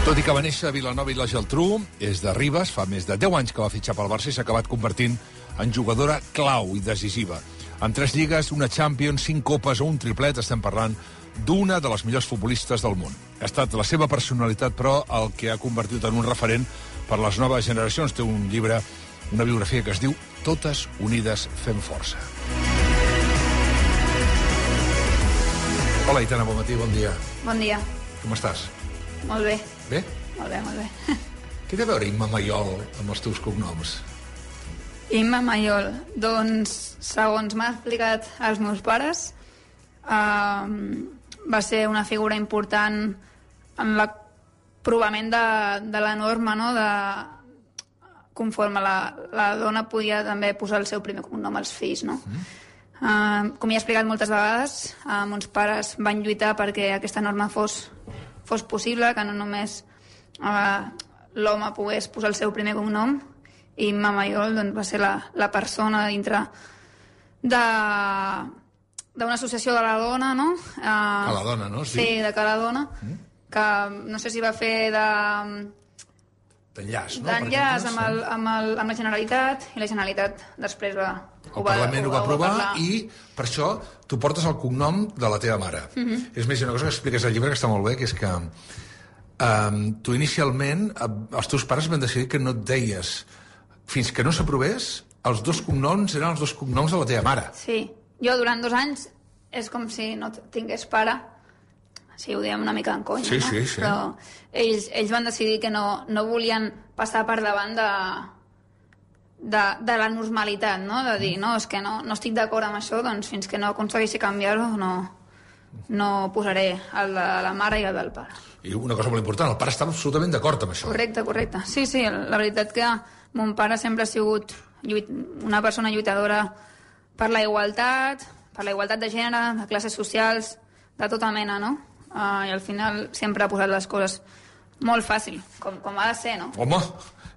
Tot i que va néixer a Vilanova i la Geltrú, és de Ribes, fa més de 10 anys que va fitxar pel Barça i s'ha acabat convertint en jugadora clau i decisiva. En 3 lligues, una Champions, 5 copes o un triplet, estem parlant d'una de les millors futbolistes del món. Ha estat la seva personalitat, però, el que ha convertit en un referent per les noves generacions. Té un llibre, una biografia que es diu Totes unides fem força. Hola, Aitana, bon matí, bon dia. Bon dia. Com estàs? Molt bé. Bé? Molt bé, molt bé. Què té a veure Imma Mayol amb els teus cognoms? Imma Mayol, doncs, segons m'ha explicat els meus pares, va ser una figura important en l'aprovament de la norma, no?, conforme la dona podia també posar el seu primer cognom als fills, no? Com ja he explicat moltes vegades, mons pares van lluitar perquè aquesta norma fos possible, que no només l'home pogués posar el seu primer cognom, i Imma Mayol doncs, va ser la persona dintre d'una associació de la dona, no? A la dona, no? Sí, de Ca la dona, que no sé si va fer d'enllaç, no? D'enllaç amb la Generalitat, i la Generalitat després el Parlament ho va aprovar i per això tu portes el cognom de la teva mare. És més, una cosa que expliques al llibre que està molt bé, que és que tu inicialment, els teus pares van decidir que no et deies, fins que no s'aprovés, els 2 cognoms eren els 2 cognoms de la teva mare. Sí, jo durant 2 anys és com si no tingués pare. Sí, ho diem una mica en conya, sí, no? Sí, sí. Però ells van decidir que no volien passar per davant de la normalitat, no? De dir, no, és que no estic d'acord amb això, doncs fins que no aconsegueixi canviar-ho no posaré el de la mare i el del pare. I una cosa molt important, el pare estava absolutament d'acord amb això. Correcte. Sí, la veritat que mon pare sempre ha sigut una persona lluitadora per la igualtat de gènere, de classes socials, de tota mena, no? I al final sempre ha posat les coses molt fàcil, com ha de ser, no? Home,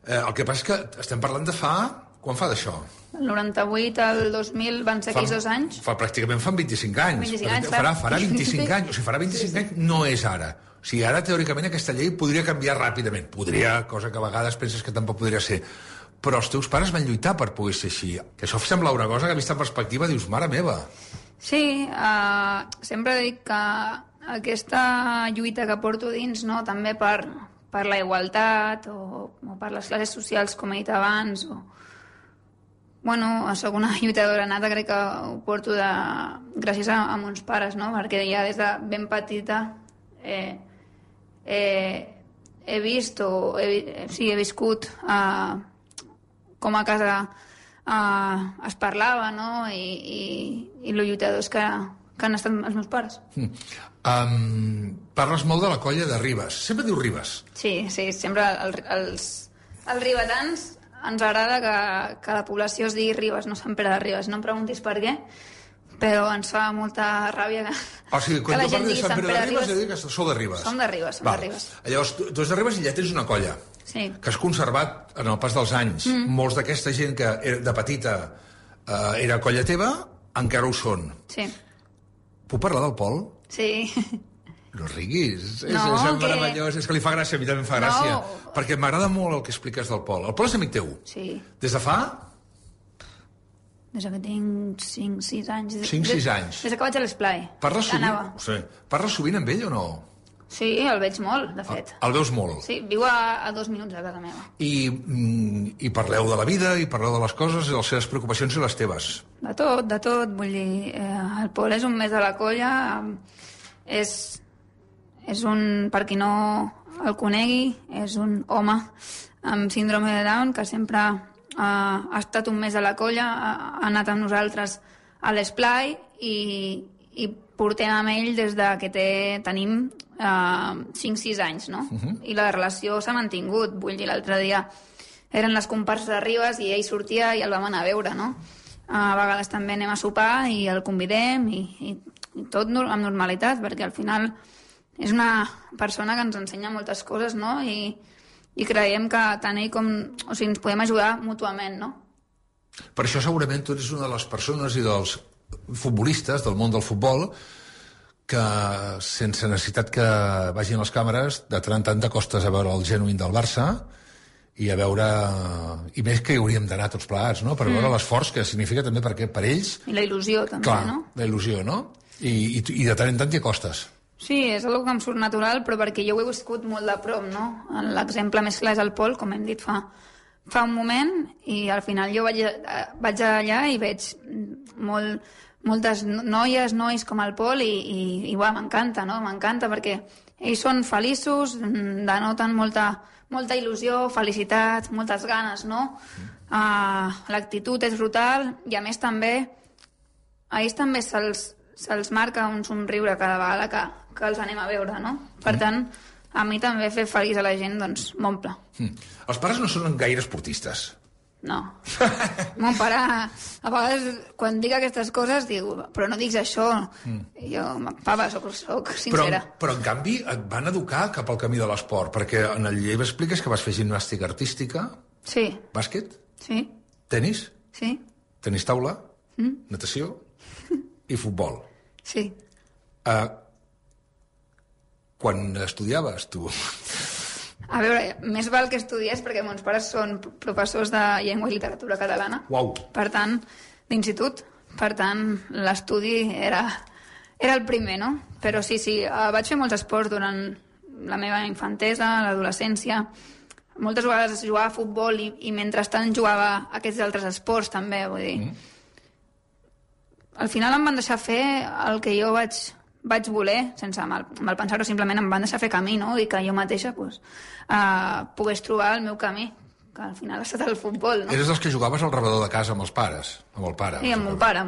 el que passa és que estem parlant de fa... Quan fa d'això? El 98 al 2000 van ser aquells 2 anys. Pràcticament fan 25 anys. 25 anys, farà 25 anys. O sigui, farà 25 anys no és ara. O sigui, ara, teòricament, aquesta llei podria canviar ràpidament. Podria, cosa que a vegades penses que tampoc podria ser. Però els teus pares van lluitar per poder ser així. Que això sembla una cosa que, vista en perspectiva, dius, mare meva. Sí, sempre dic que aquesta lluita que porto dins, no?, també per la igualtat o per les classes socials, com he dit abans, soc una lluitadora nata, crec que ho porto gràcies a mons pares, no?, perquè ja des de ben petita he vist he viscut com a casa es parlava, no?, i lo lluitadors que han estat els meus pares. Parles molt de la colla de Ribes. Sempre dius Ribes. Sí, sempre els ribetans ens agrada que la població es digui Ribes, no Sant Pere de Ribes. No em preguntis per què, però ens fa molta ràbia que la gent digui Sant Pere de Ribes. Que sou de Ribes. Som de Ribes, som de Ribes. Llavors, tu ets de Ribes i ja tens una colla que has conservat en el pas dels anys. Molts d'aquesta gent que de petita era colla teva, encara ho són. Sí. Puc parlar del Pol? Sí. No riguis. És meravellós. És que li fa gràcia, a mi també em fa gràcia. Perquè m'agrada molt el que expliques del Pol. El Pol és amic teu? Sí. Des de fa? Des que tinc 5-6 anys. 5-6 anys. Des que vaig a l'Esplai. Parles sovint amb ell o no? Sí, el veig molt, de fet. El veus molt? Sí, viu a 2 minuts de casa meva. I parleu de la vida, i parleu de les coses, de les seves preocupacions i les teves? De tot. Vull dir, el Pol és un més de la colla. És un, per qui no el conegui, és un home amb síndrome de Down que sempre ha estat un mes de la colla, ha anat amb nosaltres a l'Esplai i portem amb ell des que tenim 5-6 anys, no? I la relació s'ha mantingut. Vull dir, l'altre dia eren les comparses de Ribes i ell sortia i el vam anar a veure, no? A vegades també anem a sopar i el convidem i tot amb normalitat, perquè al final és una persona que ens ensenya moltes coses, no? I creiem que tant ell com... O sigui, ens podem ajudar mútuament, no? Per això segurament tu ets una de les persones i dels futbolistes del món del futbol que sense necessitat que vagin les càmeres, de tant en tant t'acostes a veure el genuïn del Barça i a veure... I més que hi hauríem d'anar tots plegats, no? Per veure l'esforç que significa també per ells... I la il·lusió, també, clar, no? La il·lusió, no? I de tant en tant t'hi acostes. Sí, és una cosa que em surt natural, però perquè jo ho he viscut molt de prop, no? L'exemple més clar és el Pol, com hem dit fa un moment, i al final jo vaig allà i veig moltes noies, nois com el Pol, i m'encanta, no? M'encanta perquè ells són feliços, denoten molta il·lusió, felicitat, moltes ganes, no? L'actitud és brutal i a més també a ells també se'ls marca un somriure cada vegada que els anem a veure, no? Per tant, a mi també fer feliç a la gent, doncs, m'omple. Els pares no són gaire esportistes. No. Mon pare, a vegades, quan dic aquestes coses, diu, però no diguis això. Jo, papa, soc sincera. Però, en canvi, et van educar cap al camí de l'esport, perquè en el llibre expliques que vas fer gimnàstica artística, sí. Bàsquet, sí. tenis, sí. tenis taula, natació i futbol. Sí. Quan estudiaves, tu... A veure, més val que estudiés perquè meus pares són professors de llengua i literatura catalana. Uau. Per tant, d'institut. Per tant, l'estudi era el primer, no? Però sí, vaig fer molts esports durant la meva infantesa, l'adolescència. Moltes vegades jugava a futbol i mentrestant jugava a aquests altres esports també, vull dir. Al final em van deixar fer el que jo vaig voler, sense mal pensar-ho, simplement em van deixar fer camí, no? I que jo mateixa pogués trobar el meu camí, que al final ha estat el futbol, no? Eres dels que jugaves al rebedor de casa amb els pares? Amb el pare? Sí, amb mon pare.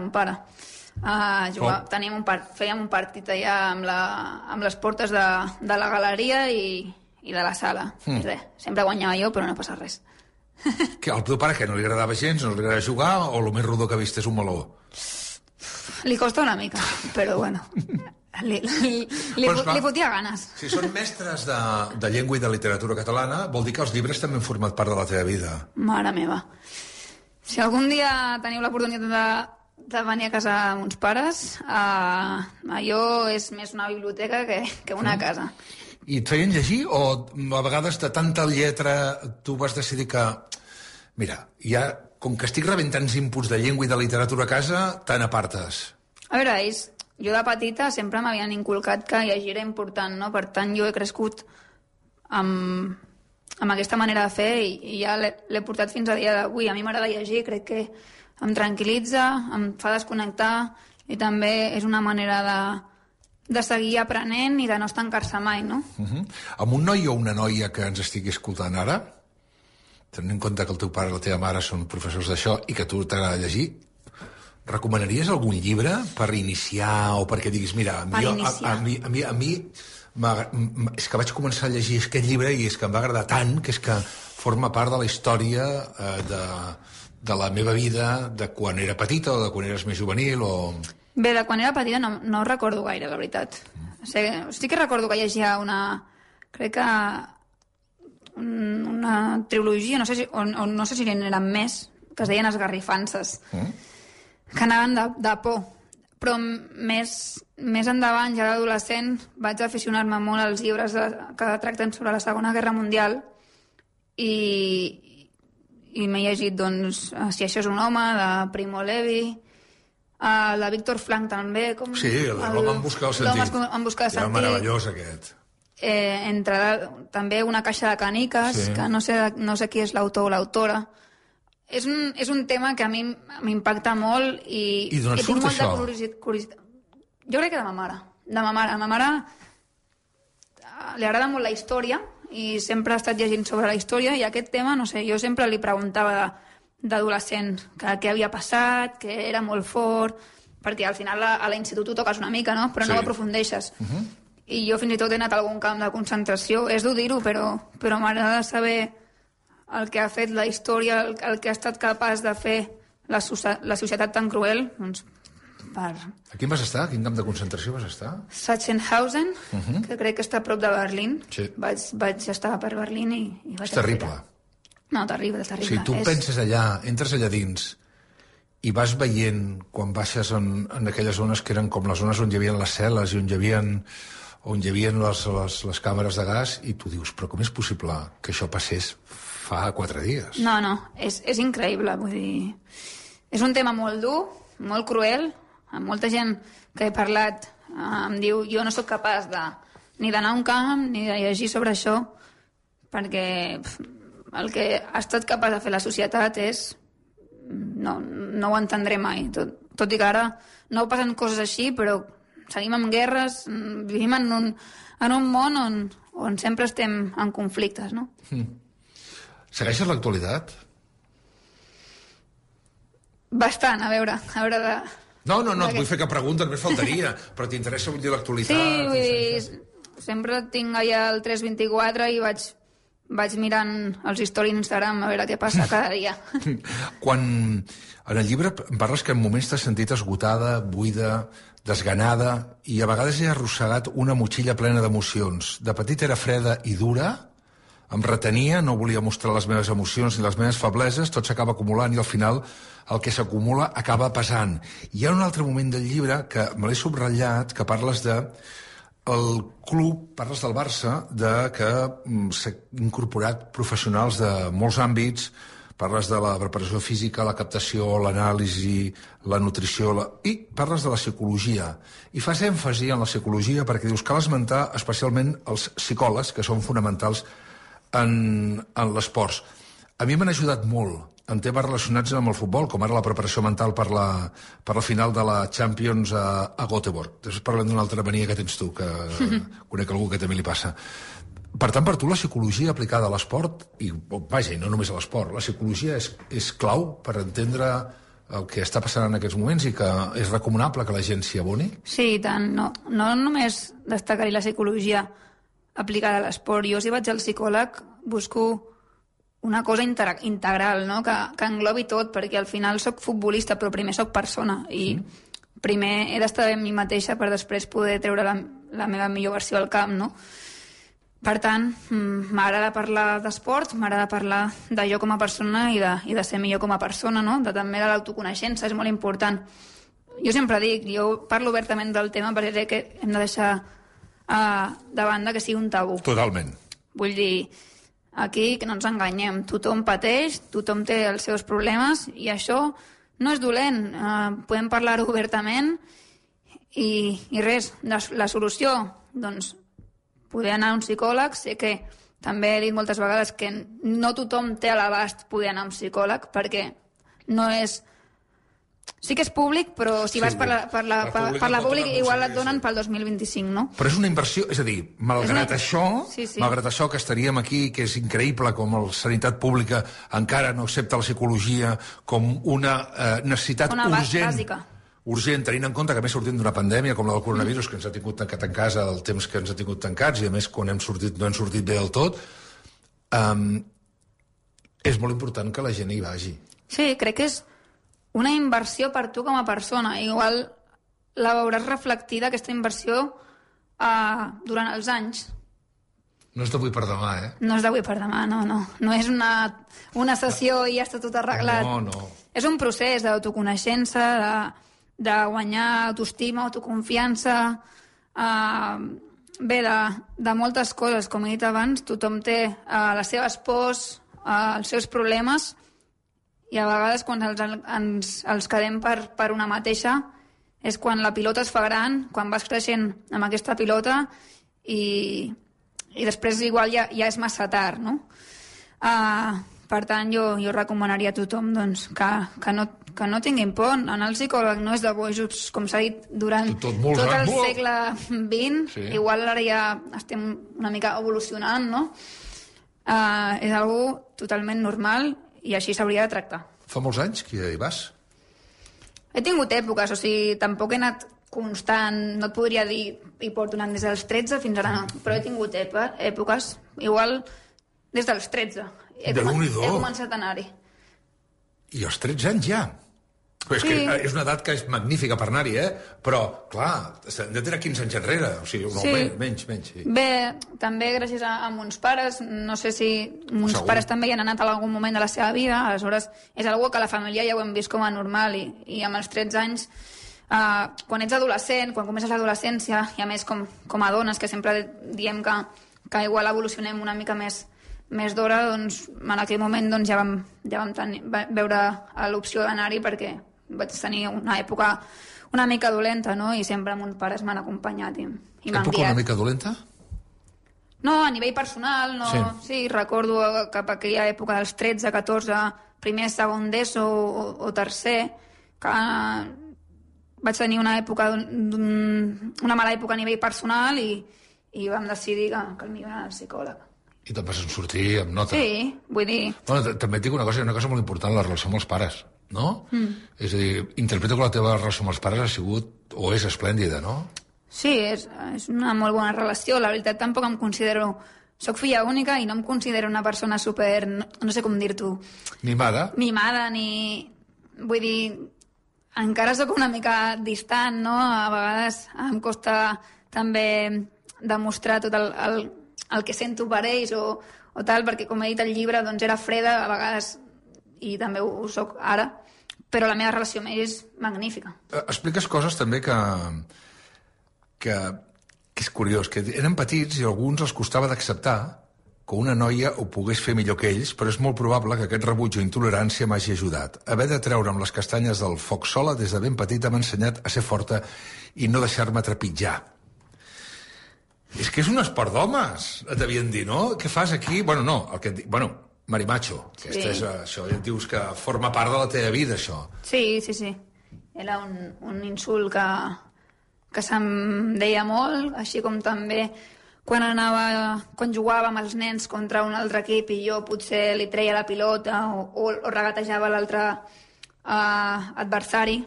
Fèiem un partit allà amb les portes de la galeria i de la sala. I res, sempre guanyava jo, però no passa res. Que al teu pare que no li agradava gens, no li agradava jugar, o el més rodó que ha vist és un meló? Li costa una mica, però bueno... Li fotia ganes. Si són mestres de llengua i de literatura catalana, vol dir que els llibres també han format part de la teva vida. Mare meva. Si algun dia teniu l'oportunitat de venir a casa amb uns pares, allò és més una biblioteca que una casa. I et feien llegir o a vegades de tanta lletra tu vas decidir que... Mira, ja, com que estic rebent tants inputs de llengua i de literatura a casa, te n'apartes. A veure, jo de petita sempre m'havien inculcat que llegir era important, no? Per tant, jo he crescut amb aquesta manera de fer i ja l'he portat fins a dia d'avui. A mi m'agrada llegir, crec que em tranquil·litza, em fa desconnectar i també és una manera de seguir aprenent i de no estancar-se mai, no? Amb un noi o una noia que ens estigui escoltant ara, tenint en compte que el teu pare i la teva mare són professors d'això i que tu t'agrada llegir, recomanaries algun llibre per iniciar o perquè diguis, mira, a mi és que vaig començar a llegir aquest llibre i és que em va agradar tant que és que forma part de la història de la meva vida de quan era petita o de quan eres més juvenil o... Bé, de quan era petita no recordo gaire, la veritat. Sí que recordo que llegia crec que una trilogia, no sé si n'eren més, que es deien Esgarrifances. Que anaven de por, però més endavant, ja d'adolescent, vaig aficionar-me molt als llibres que tracten sobre la Segona Guerra Mundial i m'he llegit, doncs, Si això és un home, de Primo Levi, de Víctor Frank també. Sí, l'home en busca el sentit. L'home en busca el sentit. Era meravellós, aquest. També Una caixa de canicas, sí. Que no sé qui és l'autor o l'autora. És un tema que a mi m'impacta molt i d'on et surt això? Curiositat. Jo crec que de ma mare. A ma mare li agrada molt la història i sempre ha estat llegint sobre la història i aquest tema, no sé, jo sempre li preguntava d'adolescent què havia passat, que era molt fort, perquè al final a l'institut ho toques una mica, no? Però no ho aprofundeixes. I jo fins i tot he anat a algun camp de concentració, és dur dir-ho, però m'agrada saber el que ha fet la història, el que ha estat capaç de fer la societat tan cruel, doncs, per... A quin vas estar? A quin camp de concentració vas estar? Sachsenhausen, que crec que està a prop de Berlín. Sí. Vaig estar per Berlín i vaig... És terrible. No, terrible. Si tu penses allà, entres allà dins i vas veient, quan baixes en aquelles zones que eren com les zones on hi havia les cel·les i on hi havia les càmeres de gas, i tu dius, però com és possible que això passés fa 4 dies? No, és increïble, vull dir... És un tema molt dur, molt cruel, amb molta gent que he parlat em diu jo no sóc capaç ni d'anar a un camp ni de llegir sobre això, perquè el que ha estat capaç de fer la societat és... No ho entendré mai, tot i que ara no passen coses així, però seguim amb guerres, vivim en un món on sempre estem en conflictes, no? Segueixes l'actualitat? Bastant, a veure de... No, et vull fer cap pregunta, només faltaria, però t'interessa, vull dir, l'actualitat? Sí, vull dir, sempre tinc allà el 324 i vaig mirant els stories d'Instagram a veure què passa cada dia. Quan en el llibre parles que en moments t'has sentit esgotada, buida, desganada, i a vegades he arrossegat una motxilla plena d'emocions. De petit era freda i dura, em retenia, no volia mostrar les meves emocions ni les meves febleses, tot s'acaba acumulant i al final el que s'acumula acaba pesant. Hi ha un altre moment del llibre que me l'he subratllat, que parles de el club, parles del Barça, de que s'ha incorporat professionals de molts àmbits, parles de la preparació física, la captació, l'anàlisi, la nutrició, i parles de la psicologia. I fas èmfasi en la psicologia perquè dius cal esmentar especialment els psicòlegs, que són fonamentals en l'esport. A mi m'han ajudat molt en temes relacionats amb el futbol, com ara la preparació mental per la final de la Champions a Göteborg. Després parlem d'una altra mania que tens tu, que conec algú que també li passa. Per tant, per tu la psicologia aplicada a l'esport, i vaja, no només a l'esport, la psicologia és clau per entendre el que està passant en aquests moments i que és recomanable que la gent s'hi aboni? Sí, i tant. No només destacar-hi la psicologia aplicada a l'esport. Jo, si vaig al psicòleg, busco una cosa integral, no? que englobi tot, perquè al final sóc futbolista, però primer sóc persona, i primer he d'estar bé amb mi mateixa per després poder treure la meva millor versió al camp, no? Per tant, m'agrada parlar d'esport, m'agrada parlar de jo com a persona i de ser millor com a persona, no? També de l'autoconeixença, és molt important. Jo sempre dic, jo parlo obertament del tema perquè crec que hem de deixar de banda que sigui un tabú. Totalment. Vull dir, aquí que no ens enganyem, tothom pateix, tothom té els seus problemes i això no és dolent, podem parlar-ho obertament i res, la solució, doncs, poder anar a un psicòleg. Sé que també he dit moltes vegades que no tothom té a l'abast poder anar a un psicòleg perquè no és... Sí que és públic, però si vas per la pública igual et donen pel 2025, no? Però és una inversió, és a dir, malgrat això que estaríem aquí, que és increïble com la sanitat pública encara no accepta la psicologia com una necessitat urgent, tenint en compte que a més sortim d'una pandèmia com la del coronavirus, que ens ha tingut tancat en casa el temps que ens ha tingut tancats, i a més quan hem sortit no hem sortit bé del tot, és molt important que la gent hi vagi. Sí, crec que és una inversió per tu com a persona. Igual la veuràs reflectida, aquesta inversió, durant els anys. No és d'avui per demà, eh? No és d'avui per demà, no. No és una sessió i ja està tot arreglat. No. És un procés d'autoconeixença, de guanyar autoestima, autoconfiança, bé, de moltes coses. Com he dit abans, tothom té les seves pors, els seus problemes, i a vegades quan ens quedem per una mateixa és quan la pilota es fa gran, quan vas creixent amb aquesta pilota i després igual ja és massa tard, no? Per tant, jo recomanaria a tothom doncs, que no tinguin por. Anar al psicòleg no és de bojos, com s'ha dit durant tot el segle XX. Sí. Igual ara ja estem una mica evolucionant, no? És algo totalment normal i així s'hauria de tractar. Fa molts anys que hi vas? He tingut èpoques, o sigui, tampoc he anat constant, no et podria dir hi porto anant des dels 13 fins ara no, però he tingut èpoques, igual des dels 13. He començat a anar-hi. I als 13 anys ja? Però és que és una edat que és magnífica per anar-hi, però, clar, hem de tenir 15 anys enrere, o sigui, menys. Sí. Bé, també gràcies a mons pares, no sé si mons pares també hi han anat en algun moment de la seva vida, aleshores és algo que a la família ja ho hem vist com a normal, i amb els 13 anys, quan ets adolescent, quan comences l'adolescència, i a més com a dones, que sempre diem que igual evolucionem una mica més d'hora, doncs en aquell moment doncs, ja vam veure l'opció d'anar-hi perquè vaig tenir una època una mica dolenta, no? I sempre mons pares m'han acompanyat i m'han guiat. Època una mica dolenta? No, a nivell personal, no. Sí, recordo cap a aquella època dels 13, 14, primer, segon d'ESO o tercer, que vaig tenir una mala època a nivell personal i vam decidir que el millor era el psicòleg. I te'n vas sortir amb nota. Sí, vull dir... Bueno, també et dic una cosa molt important, la relació amb els pares, no? És a dir, interpreto que la teva relació amb els pares ha sigut o és esplèndida, no? Sí, és una molt bona relació. La veritat, tampoc em considero... Soc filla única i no em considero una persona super... No sé com dir-t'ho. Mimada? Mimada, ni... Vull dir, encara sóc una mica distant, no? A vegades em costa també demostrar tot el que sento per ells o tal, perquè com he dit al llibre, doncs era freda a vegades, i també ho soc ara, però la meva relació amb ells és magnífica. Expliques coses també que és curiós, que eren petits i a alguns els costava d'acceptar que una noia ho pogués fer millor que ells, però és molt probable que aquest rebuig o intolerància m'hagi ajudat. Haver de treure'm les castanyes del foc sola des de ben petit m'ha ensenyat a ser forta i no deixar-me trepitjar. És que és un esport d'homes, et devien dir, no? Què fas aquí? Bueno, no, marimacho. Sí. Això ja et dius que forma part de la teva vida, això. Sí. Era un insult que se'm deia molt, així com també quan jugàvem els nens contra un altre equip i jo potser li treia la pilota o regatejava l'altre adversari,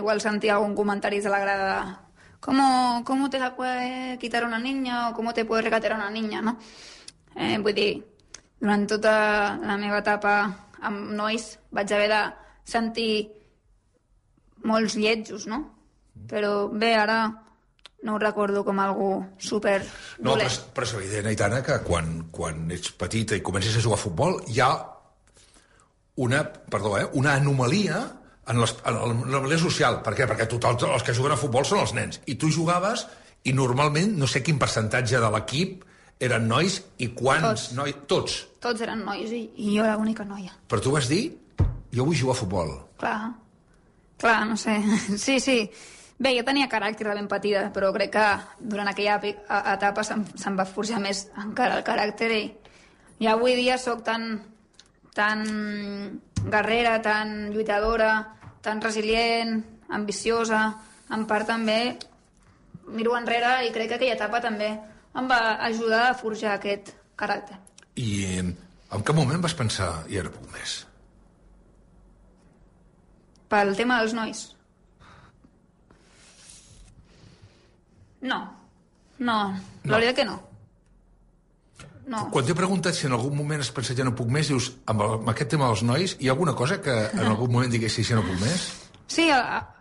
igual sentia algun comentari de la grada de ¿Cómo te la puede quitar una niña o cómo te puede regatear una niña, no? Vull dir, durant tota la meva etapa amb nois vaig haver de sentir molts lletjos, no? Però bé, ara no ho recordo com algú super dolent. No, però és evident, Aitana, que quan ets petita i comences a jugar a futbol hi ha una anomalia en l'anomalia social. Per què? Perquè els que juguen a futbol són els nens. I tu jugaves i normalment, no sé quin percentatge de l'equip eren nois i quants nois... Tots. Tots eren nois i jo era l'única noia. Però tu vas dir, jo vull jugar a futbol. Clar, no sé. Sí. Bé, jo tenia caràcter de ben petita, però crec que durant aquella etapa se'm va forjar més encara el caràcter i avui dia sóc tan guerrera, tan lluitadora, tan resilient, ambiciosa. En part també miro enrere i crec que aquella etapa també em va ajudar a forjar aquest caràcter. I en cap moment vas pensar, i ara puc més? Pel tema dels nois? No. La veritat que no. Quan t'he preguntat si en algun moment has pensat ja no puc més, dius, amb aquest tema dels nois, hi ha alguna cosa que en algun moment diguessis ja no puc més? Sí,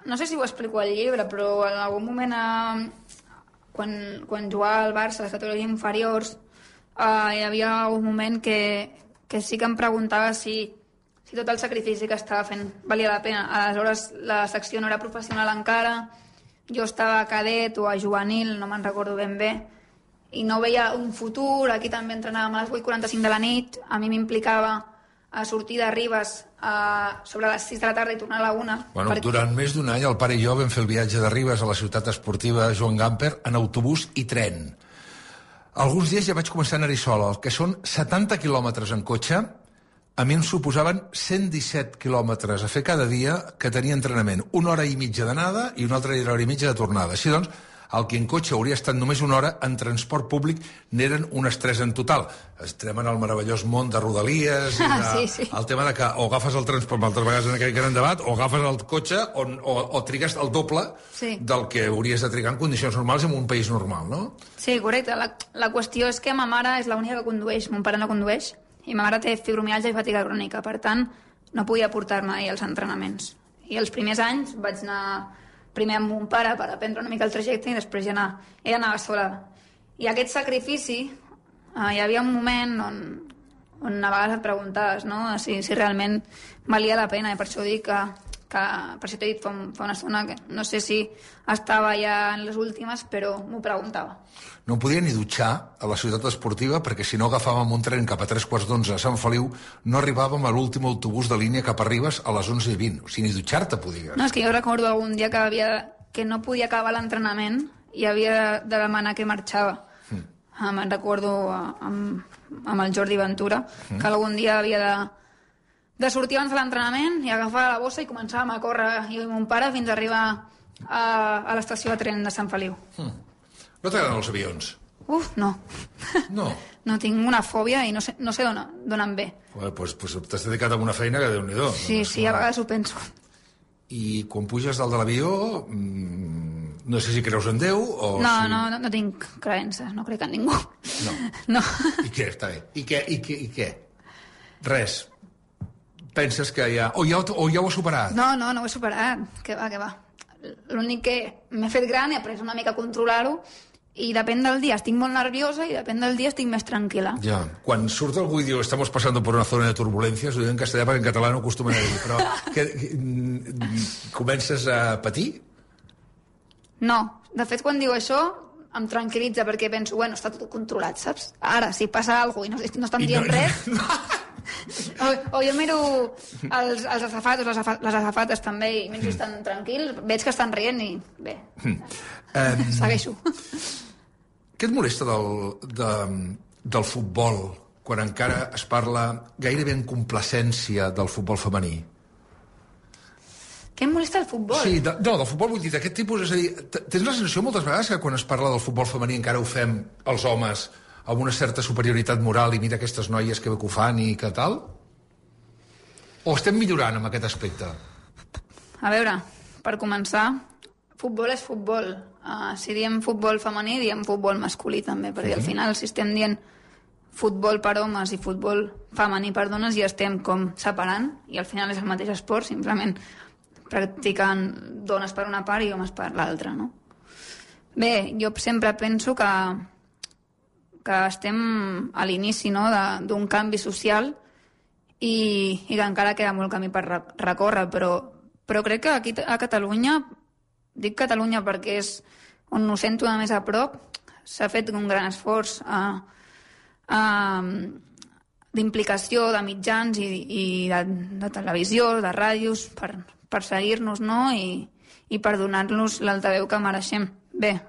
no sé si ho explico al llibre, però en algun moment, quan jugava al Barça, a les categories inferiors, hi havia algun moment que sí que em preguntava si tot el sacrifici que estava fent valia la pena. Aleshores, la secció no era professional encara, jo estava a cadet o a juvenil, no me'n recordo ben bé, i no veia un futur. Aquí també entrenàvem a les 8:45 de la nit, a mi m'implicava a sortir de Ribes sobre les 6 de la tarda i tornar a la 1. Bueno, durant més d'un any el pare i jo vam fer el viatge de Ribes a la ciutat esportiva Joan Gamper en autobús i tren. Alguns dies ja vaig començar a anar-hi sola, el que són 70 quilòmetres en cotxe. A mi em suposaven 117 quilòmetres a fer cada dia que tenia entrenament. 1 hora i mitja d'anada i una altra hora i mitja de tornada. Així doncs, el que en cotxe hauria estat només 1 hora, en transport públic n'eren unes 3 en total. Estem en el meravellós món de Rodalies, sí. el tema de que o agafes el transport, altres vegades en aquell gran debat, o agafes el cotxe o trigues el doble del que hauries de trigar en condicions normals en un país normal, no? Sí, correcte. La qüestió és que ma mare és l'única que condueix, mon pare no condueix, i ma mare té fibromialgia i fatiga crònica, per tant, no podia portar-me als entrenaments. I els primers anys vaig anar primer amb mon pare per aprendre una mica el trajecte i després ja anava sola. I aquest sacrifici, hi havia un moment on a vegades et preguntaves, no?, si realment valia la pena, i per això dic que per això t'he dit fa una estona que no sé si estava ja en les últimes, però m'ho preguntava. No podia ni dutxar a la ciutat esportiva perquè si no agafàvem un tren cap a 3:45 a Sant Feliu no arribàvem a l'últim autobús de línia cap a Ribes a les 11:20. O sigui, ni dutxar-te podies. No, és que jo recordo algun dia que no podia acabar l'entrenament i havia de demanar que marxava. Me'n recordo amb el Jordi Ventura, que algun dia havia de sortir abans de l'entrenament i agafar la bossa i començàvem a córrer jo i mon pare fins a arribar a l'estació de tren de Sant Feliu. No t'agraden els avions? No. No? No, tinc una fòbia i no sé d'on em ve. Pues t'has dedicat a una feina que Déu-n'hi-do. Sí, a vegades ho penso. I quan puges dalt de l'avió, no sé si creus en Déu o... No tinc creences, no crec en ningú. No. I què? Està bé. I què? Res. Penses que ja... O ja ho has superat? No ho he superat. Què va. L'únic que m'he fet gran, he après una mica a controlar-ho, i depèn del dia estic molt nerviosa i depèn del dia estic més tranquil·la. Ja. Quan surt algú i diu estamos pasando por una zona de turbulencias, ho diu en castellà perquè en català no acostumen a dir, però comences a patir? No. De fet, quan diu això em tranquil·litza perquè penso, bueno, està tot controlat, saps? Ara, si passa alguna cosa i no estan dient res... O jo miro els azafatos, les azafates també, i menys estan tranquils, veig que estan rient i bé, segueixo. Què et molesta del futbol quan encara es parla gairebé en complacència del futbol femení? Què em molesta el futbol? Sí, del futbol vull dir, d'aquest tipus, és a dir, tens la sensació moltes vegades que quan es parla del futbol femení encara ho fem els homes amb una certa superioritat moral i mira aquestes noies que bé que ho fan i que tal? O estem millorant amb aquest aspecte? A veure, per començar, futbol és futbol. Si diem futbol femení, diem futbol masculí també, perquè al final si estem dient futbol per homes i futbol femení per dones ja estem com separant i al final és el mateix esport, simplement practicant dones per una part i homes per l'altra, no? Bé, jo sempre penso que estem a l'inici, no?, d'un canvi social i que encara queda molt camí per recórrer, però crec que aquí a Catalunya, dic Catalunya perquè és on ho sento més a prop, s'ha fet un gran esforç d'implicació de mitjans i de televisió, de ràdios, per seguir-nos, no?, i per donar-nos l'altaveu que mereixem. Bé,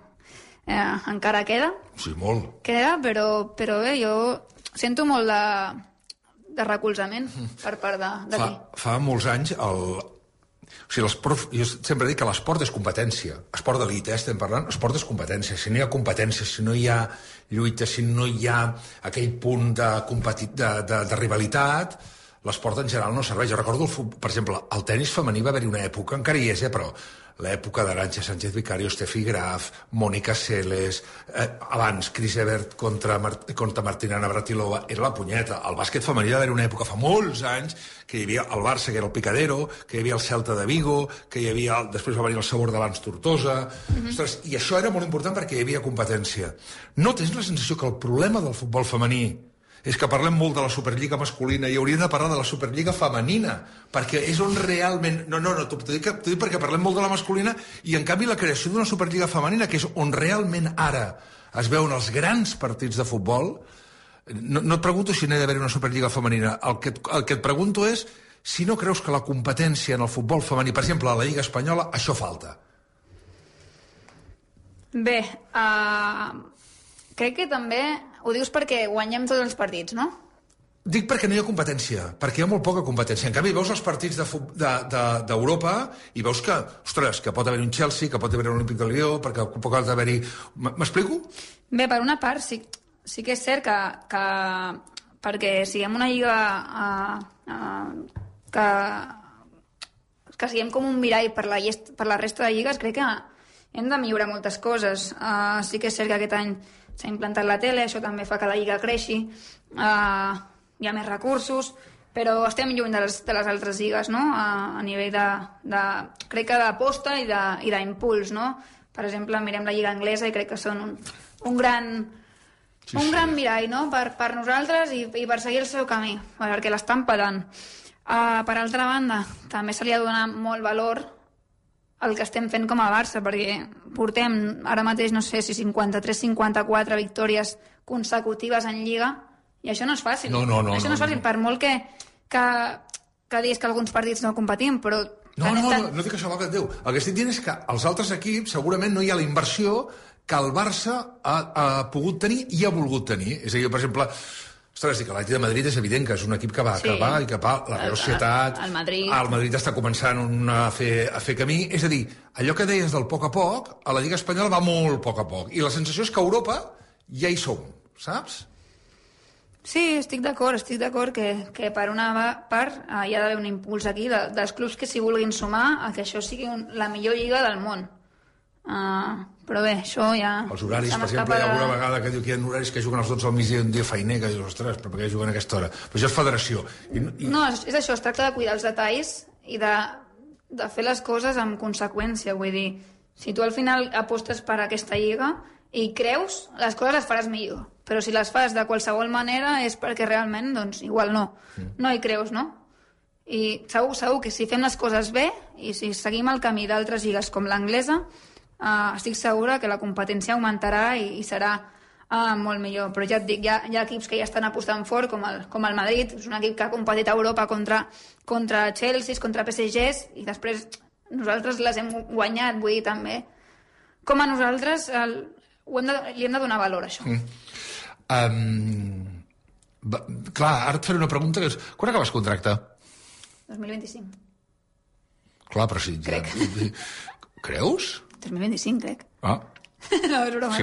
encara queda. Sí, molt. Queda, però bé, jo sento molt de recolzament per part d'aquí. Fa molts anys jo sempre dic que l'esport és competència. Esport d'elit, estem parlant. Esport és competència. Si no hi ha competència, si no hi ha lluita, si no hi ha aquell punt de rivalitat, l'esport en general no serveix. Jo recordo, per exemple, el tenis femení va haver-hi una època, encara hi és, però l'època d'Arantxa Sánchez Vicario, Steffi Graf, Mònica Seles, abans Chris Evert contra Martina Navratilova, era la punyeta. El bàsquet femení va haver una època fa molts anys que hi havia el Barça, que era el Picadero, que hi havia el Celta de Vigo, que hi havia, després va venir el Sabor de l'Ans Tortosa. Ostres, i això era molt important perquè hi havia competència. No tens la sensació que el problema del futbol femení és que parlem molt de la Superliga masculina i hauríem de parlar de la Superliga femenina, perquè és on realment... No, t'ho dic perquè parlem molt de la masculina i, en canvi, la creació d'una Superliga femenina, que és on realment ara es veuen els grans partits de futbol, no et pregunto si n'hi ha d'haver una Superliga femenina. El que et pregunto és si no creus que la competència en el futbol femení, per exemple, a la Lliga Espanyola, això falta. Bé, crec que també ho dius perquè guanyem tots els partits, no? Dic perquè no hi ha competència, perquè hi ha molt poca competència. En canvi, veus els partits d'Europa i veus que, ostres, que pot haver un Chelsea, que pot haver un Olímpic de Lió, perquè pot haver-hi... M'explico? Bé, per una part, sí que és cert que perquè siguem una lliga que siguem com un mirall per la resta de lligues, crec que hem de millorar moltes coses. Sí que és cert que aquest any s'ha implantat la tele, això també fa que la lliga creixi, hi ha més recursos, però estem lluny de les altres lligues, no? A nivell crec que d'aposta i d'impuls, no? Per exemple, mirem la lliga anglesa i crec que són un gran mirall, no? Per nosaltres i per seguir el seu camí, perquè l'estan petant. Per altra banda, també se li ha de donar molt valor al que estem fent com a Barça, perquè portem ara mateix, no sé si 53-54 victòries consecutives en Lliga, i això no és fàcil. No. Això no és fàcil, per molt que diguis que alguns partits no competim, però... No dic això, valgui Déu. El que estic dient és que als altres equips segurament no hi ha la inversió que el Barça ha pogut tenir i ha volgut tenir. És a dir, per exemple, ostres, que l'Atlètic de Madrid és evident que és un equip que va i que va, la Real Societat... El Madrid. El Madrid està començant a fer camí. És a dir, allò que deies del poc a poc, a la Lliga Espanyola va molt poc a poc. I la sensació és que a Europa ja hi som, saps? Sí, estic d'acord que per una part hi ha d'haver un impuls aquí dels clubs que s'hi vulguin sumar a que això sigui la millor lliga del món. Però bé, això ja... Els horaris, per exemple, hi ha alguna vegada que diu que hi ha horaris que juguen als 12 al migdia un dia feiner, que dius, ostres, però per què juguen a aquesta hora? Però això és federació. No, és això, es tracta de cuidar els detalls i de fer les coses amb conseqüència. Vull dir, si tu al final apostes per aquesta lliga i creus, les coses les faràs millor. Però si les fas de qualsevol manera és perquè realment, doncs, igual no hi creus, no? I segur que si fem les coses bé i si seguim el camí d'altres lligues com l'anglesa, estic segura que la competència augmentarà i serà molt millor. Però ja et dic, hi ha equips que ja estan apostant fort, com el Madrid, és un equip que ha competit a Europa contra Chelsea, contra PSGs, i després nosaltres les hem guanyat, vull dir, també. Com a nosaltres li hem de donar valor a això. Clar, ara et faré una pregunta que és, quan acabes contracte? 2025. Clar, però sí. Crec. Creus? 2025, crec. No, és broma.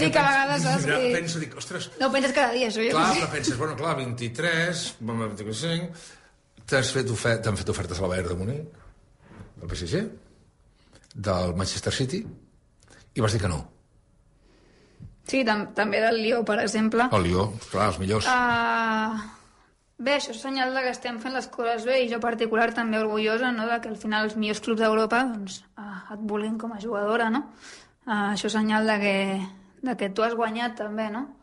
Dic a vegades... Penso, ostres... No ho penses cada dia, això. Clar, però penses, 23, 25... T'han fet ofertes a la Bayern de Munic, del PSG, del Manchester City, i vas dir que no. Sí, també del Lió, per exemple. El Lió, clar, els millors. Bé, això és senyal que estem fent les coses bé, i jo particular també orgullosa, no?, que al final els millors clubs d'Europa doncs, et vulguin com a jugadora, no? Això és senyal que tu has guanyat també, no?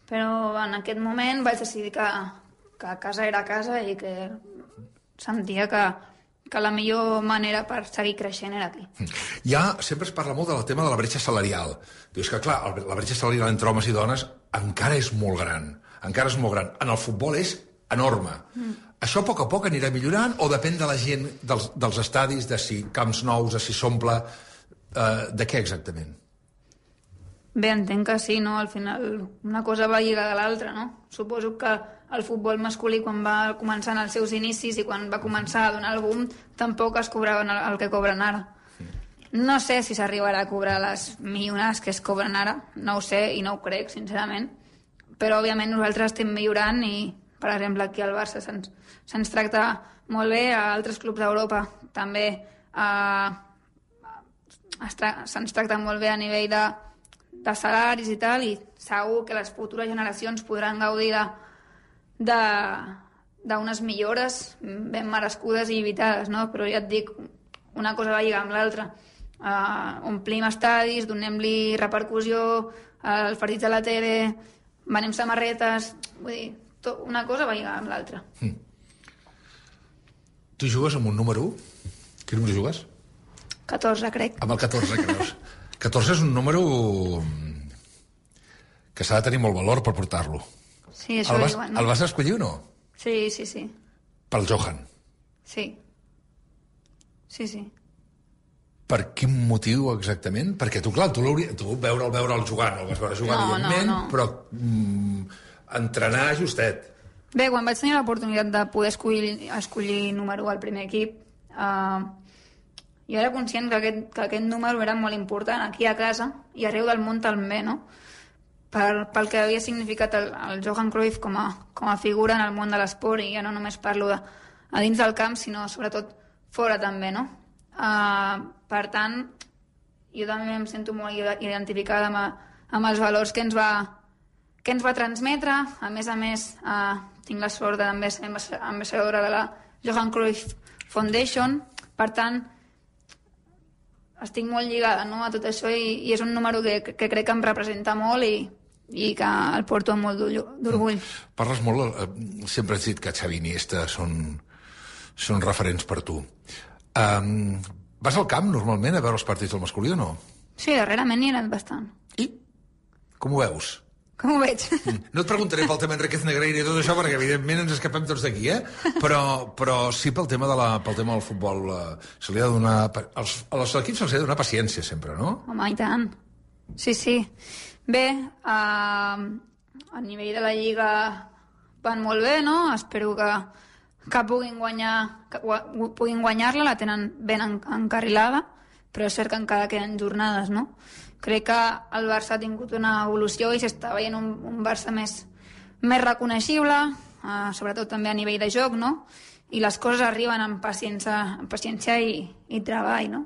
Però en aquest moment vaig decidir que casa era casa i que sentia que la millor manera per seguir creixent era aquí. Sempre es parla molt del tema de la bretxa salarial. Dius que, clar, la bretxa salarial entre homes i dones encara és molt gran. En el futbol és enorme. Això a poc anirà millorant o depèn de la gent dels estadis, de si camps nous, de si s'omple... De què exactament? Bé, entenc que sí, no? Al final una cosa va lligada a l'altra, no? Suposo que el futbol masculí, quan va començar en els seus inicis i quan va començar a donar el boom, tampoc es cobraven el que cobren ara. No sé si s'arribarà a cobrar les milionades que es cobren ara, no ho sé i no ho crec, sincerament, però òbviament nosaltres estem millorant i, per exemple, aquí al Barça se'ns tracta molt bé, a altres clubs d'Europa també se'ns tracta molt bé a nivell de salaris i tal, i segur que les futures generacions podran gaudir d'unes millores ben merescudes i evitades, no? Però ja et dic, una cosa va lligar amb l'altra. Omplim estadis, donem-li repercussió als partits de la tele, venem samarretes, vull dir, una cosa va lligar amb l'altra. Tu jugues amb un número 1? Quin número jugues? 14, crec. Amb el 14, creus? 14 és un número que s'ha de tenir molt valor per portar-lo. Sí, això diuen, no? El vas escollir o no? Sí. Pel Johan? Sí. Per quin motiu exactament? Perquè tu, clar, tu veure'l jugar, no el vas veure jugar, evidentment, no. Però entrenar justet. Bé, quan vaig tenir l'oportunitat de poder escollir número 1 al primer equip, jo era conscient que aquest número era molt important aquí a casa i arreu del món també, no? Pel que havia significat el Johan Cruyff com a figura en el món de l'esport, i ja no només parlo a dins del camp, sinó sobretot fora també, no? Per tant, jo també em sento molt identificada amb els valors que ens va transmetre. A més, tinc la sort de també ser ambaixadora de la Johan Cruyff Foundation, per tant estic molt lligada, no?, a tot això i és un número que crec que em representa molt i que el porto amb molt d'orgull. Parles molt, sempre has dit que Xavi i Iniesta són referents per tu. Vas al camp normalment a veure els partits del masculí o no? Sí, darrerament hi he anat bastant. I? Com ho veus? Com ho veig? No et preguntaré pel tema Enriquez Negreira i tot això, perquè evidentment ens escapem tots d'aquí, però sí pel tema del futbol. Se li ha de donar... Als equips se'ls ha de donar paciència sempre, no? Home, i tant. Sí. Bé, a nivell de la Lliga van molt bé, no? Espero que puguin guanyar-la, la tenen ben encarrilada, però és cert que encara queden jornades, no? Crec que el Barça ha tingut una evolució i s'està veient un Barça més reconeixible, sobretot també a nivell de joc, no? I les coses arriben amb paciència i treball, no?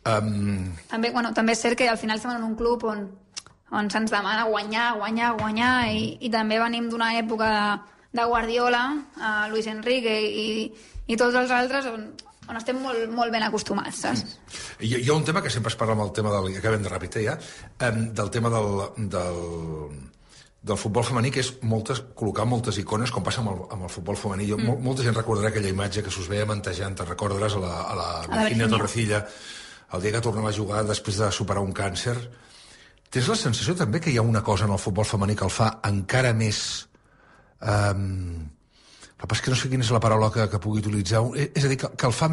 També és cert que al final estem en un club on se'ns demana guanyar i també venim d'una època de Guardiola, Luis Enrique i tots els altres on estem molt ben acostumats, saps? Hi ha un tema que sempre es parla amb el tema del... Acabem de ràpid, ja. Del tema del futbol femení, que és col·locar moltes icones, com passa amb el futbol femení. Molta gent recordarà aquella imatge que s'us veia mantejant, te'n recordaràs, a la Virginia Torrecilla, el dia que tornava a jugar després de superar un càncer. Tens la sensació també que hi ha una cosa en el futbol femení que el fa encara més... és que no sé quina és la paraula que pugui utilitzar. És a dir, que el fa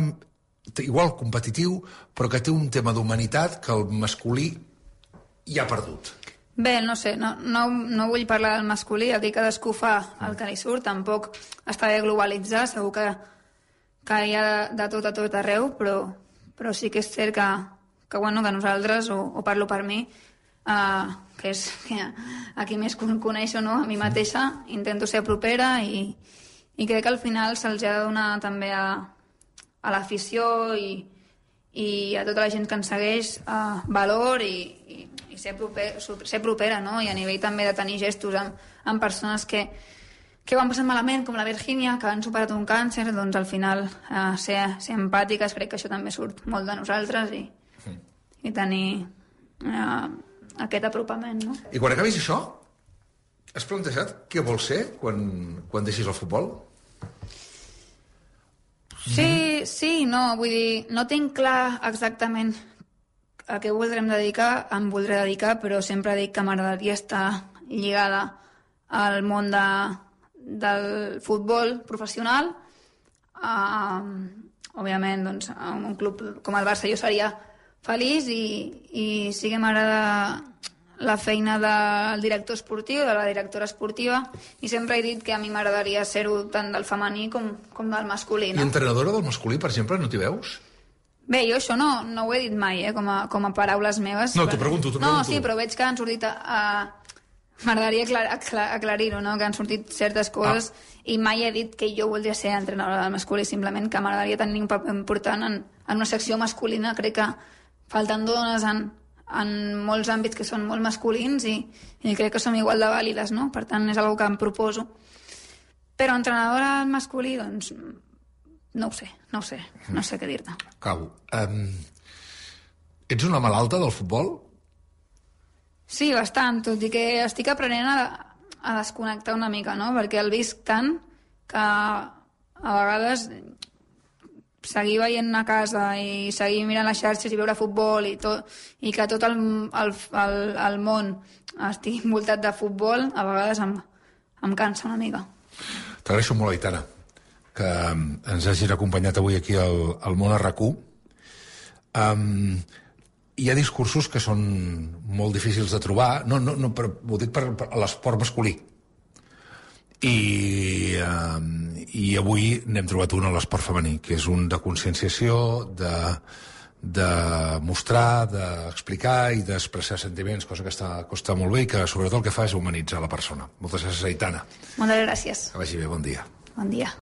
igual competitiu, però que té un tema d'humanitat que el masculí ja ha perdut. Bé, no sé, no vull parlar del masculí, el que cadascú fa el que li surt, tampoc està bé globalitzar, segur que hi ha de tot a tot arreu, però sí que és cert que nosaltres, o parlo per mi, que és a qui més coneixo, no? A mi mateixa, intento ser propera i crec que al final se'ls ha de donar també a l'afició i a tota la gent que ens segueix valor i ser propera, no? I a nivell també de tenir gestos amb persones que ho han passat malament, com la Virginia, que han superat un càncer, doncs al final ser empàtiques, crec que això també surt molt de nosaltres i tenir aquest apropament, no? I quan acabis això, has plantejat què vols ser quan deixis el futbol? Sí, no, vull dir, no tinc clar exactament a què em voldré dedicar, però sempre dic que m'agradaria estar lligada al món del futbol professional. Òbviament, doncs, en un club com el Barça jo seria feliç i sí que m'agrada la feina del director esportiu, de la directora esportiva, i sempre he dit que a mi m'agradaria ser-ho tant del femení com del masculí. I entrenadora del masculí, per exemple, no t'hi veus? Bé, jo això no ho he dit mai, com a paraules meves. No, t'ho pregunto. No, sí, però veig que han sortit... M'agradaria aclarir-ho, no? Que han sortit certes coses i mai he dit que jo voldria ser entrenadora del masculí, simplement que m'agradaria tenir un paper important en una secció masculina. Crec que falten dones en molts àmbits que són molt masculins i crec que som igual de vàlides, no? Per tant, és una que em proposo. Però entrenadora del masculí, doncs, no ho sé què dir-te. Acabo. Ets una malalta del futbol? Sí, bastant, tot i que estic aprenent a desconnectar una mica, no? Perquè el visc tant que a vegades seguir veient a casa i seguir mirant les xarxes i veure futbol i que tot el món estigui envoltat de futbol, a vegades em cansa una mica. T'agraeixo molt, Aitana, que ens hagis acompanyat avui aquí al Món a RAC1. Hi ha discursos que són molt difícils de trobar, però ho dic per l'esport masculí. I avui n'hem trobat un a l'esport femení, que és un de conscienciació, de mostrar, d'explicar i d'expressar sentiments, cosa que costa molt bé i que sobretot el que fa és humanitzar la persona. Moltes gràcies, Aitana. Moltes gràcies. Que vagi bé, bon dia. Bon dia.